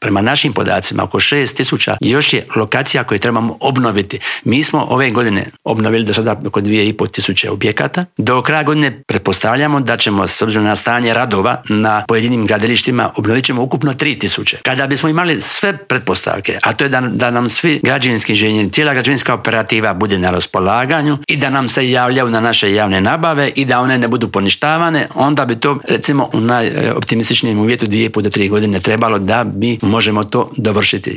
prema našim podacima oko 6.000 još je lokacija koje trebamo obnoviti. Mi smo ove godine obnovili do sada oko 2.500 objekata. Do kraja godine pretpostavljamo da ćemo s obzirom na stanje radova na pojedinim gradilištima obnovit ćemo ukupno 3.000. Kada bismo imali sve pretpostavke, a to je da nam svi građevinski inženjeri, cijela građevinska operativa bude na raspolaganju i da nam se javljaju na naše javne nabave i da one ne budu poništavane, onda bi to recimo u najoptimističnijem uvjetu 2,5 do 3 godine trebalo da mi možemo to dovršiti.